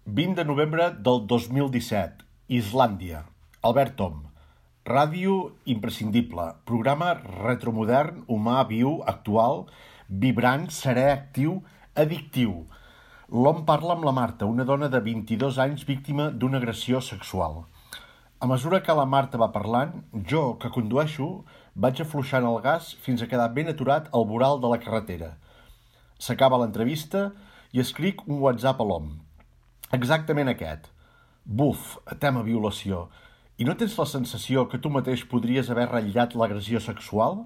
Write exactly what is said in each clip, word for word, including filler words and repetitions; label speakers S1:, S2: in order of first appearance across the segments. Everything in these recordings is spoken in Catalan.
S1: vint de novembre del dos mil disset, Islàndia. Albert Om. Ràdio imprescindible. Programa retromodern, humà, viu, actual, vibrant, serè, actiu, addictiu. L'Om parla amb la Marta, una dona de vint-i-dos anys víctima d'una agressió sexual. A mesura que la Marta va parlant, jo, que condueixo, vaig afluixant el gas fins a quedar ben aturat al voral de la carretera. S'acaba l'entrevista i escric un WhatsApp a l'Om. Exactament aquest. Buf, tema violació. I no tens la sensació que tu mateix podries haver ratllat l'agressió sexual?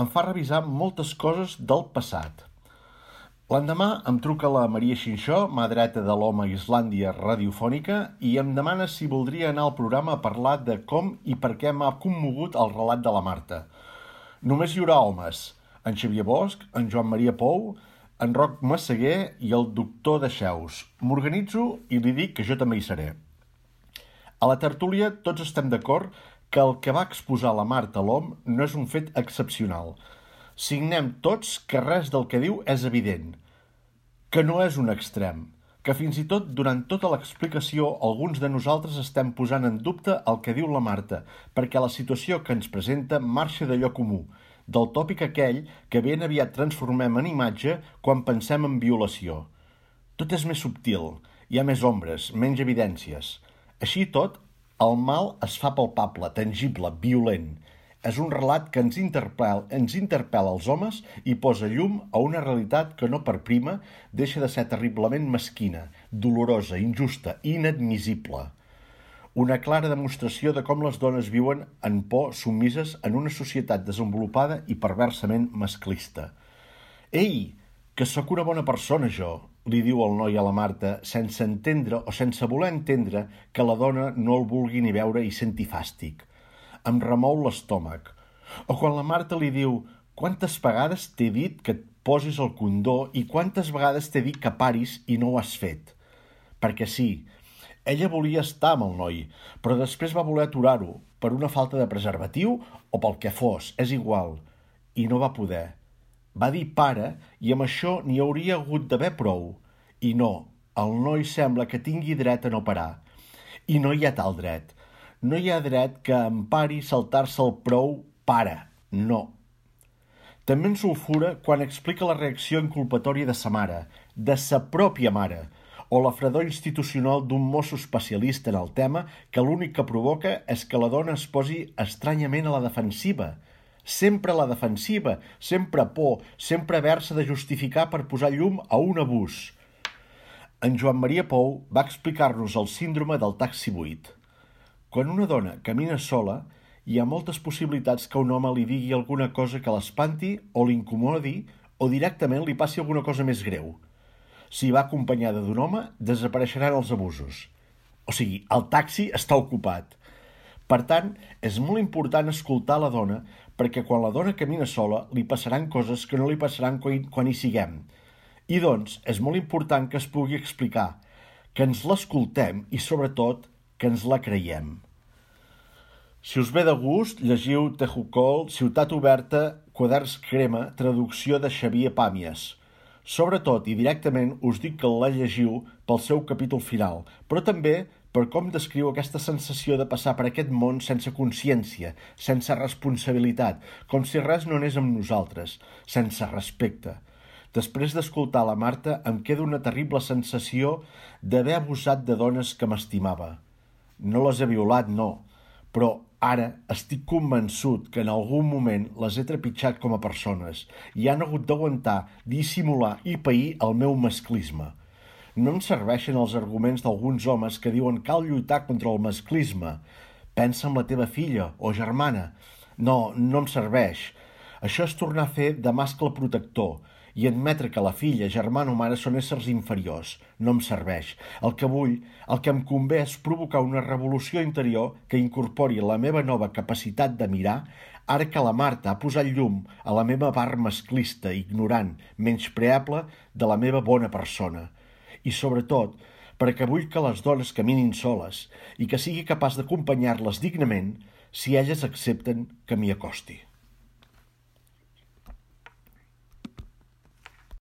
S1: Em fa revisar moltes coses del passat. L'endemà em truca la Maria Xinxó, mà dreta de l'Home a Islàndia radiofònica, i em demana si voldria anar al programa a parlar de com i per què m'ha commogut el relat de la Marta. Només hi haurà homes, en Xavier Bosch, en Joan Maria Pou, en Roc Massaguer i el doctor Dexeus. M'organitzo i li dic que jo també hi seré. A la tertúlia tots estem d'acord que el que va exposar la Marta a l'Hom no és un fet excepcional. Signem tots que res del que diu és evident, que no és un extrem, que fins i tot durant tota l'explicació alguns de nosaltres estem posant en dubte el que diu la Marta, perquè la situació que ens presenta marxa d'allò comú, del tòpic aquell que ben aviat transformem en imatge quan pensem en violació. Tot és més subtil, hi ha més ombres, menys evidències. Així i tot, el mal es fa palpable, tangible, violent. És un relat que ens interpel·la, ens interpel·la als homes i posa llum a una realitat que no per prima deixa de ser terriblement mesquina, dolorosa, injusta, inadmissible. Una clara demostració de com les dones viuen en por submises en una societat desenvolupada i perversament masclista. Ei, que sóc una bona persona jo, li diu el noi a la Marta, sense entendre o sense voler entendre que la dona no el vulgui ni veure i senti fàstic. Em remou l'estómac. O quan la Marta li diu «Quantes vegades t'he dit que et posis el condó i quantes vegades t'he dit que paris i no ho has fet?» Perquè sí, ella volia estar amb el noi, però després va voler aturar-ho per una falta de preservatiu o pel que fos, és igual, i no va poder. Va dir pare i amb això n'hi hauria hagut d'haver prou. I no, el noi sembla que tingui dret a no parar. I no hi ha tal dret. No hi ha dret que empari saltar-se el prou pare. No. També ens sulfura quan explica la reacció inculpatòria de sa mare, de sa pròpia mare, o la fredor institucional d'un mosso especialista en el tema que l'únic que provoca és que la dona es posi estranyament a la defensiva. Sempre a la defensiva, sempre por, sempre haver-se de justificar per posar llum a un abús. En Joan Maria Pou va explicar-nos el síndrome del taxi buit. Quan una dona camina sola, hi ha moltes possibilitats que un home li digui alguna cosa que l'espanti o l'incomodi o directament li passi alguna cosa més greu. Si va acompanyada d'un home, desapareixeran els abusos. O sigui, el taxi està ocupat. Per tant, és molt important escoltar la dona perquè quan la dona camina sola li passaran coses que no li passaran quan hi siguem. I doncs, és molt important que es pugui explicar, que ens l'escoltem i, sobretot, que ens la creiem. Si us ve de gust, llegiu Tehucol, Ciutat Oberta, Quaderns Crema, traducció de Xavier Pàmies. Sobretot i directament us dic que la llegiu pel seu capítol final, però també per com descriu aquesta sensació de passar per aquest món sense consciència, sense responsabilitat, com si res no anés amb nosaltres, sense respecte. Després d'escoltar la Marta em queda una terrible sensació d'haver abusat de dones que m'estimava. No les he violat, no, però ara estic convençut que en algun moment les he trepitjat com a persones i han hagut d'aguantar, dissimular i pair el meu masclisme. No em serveixen els arguments d'alguns homes que diuen cal lluitar contra el masclisme. Pensa en la teva filla o germana. No, no em serveix. Això és tornar a fer de mascle protector i admetre que la filla, germana o mare són éssers inferiors. No em serveix. El que vull, el que em convé és provocar una revolució interior que incorpori la meva nova capacitat de mirar, ara que la Marta ha posat llum a la meva part masclista, ignorant, menyspreable de la meva bona persona. I sobretot, perquè vull que les dones caminin soles i que sigui capaç d'acompanyar-les dignament si elles accepten que m'hi acosti.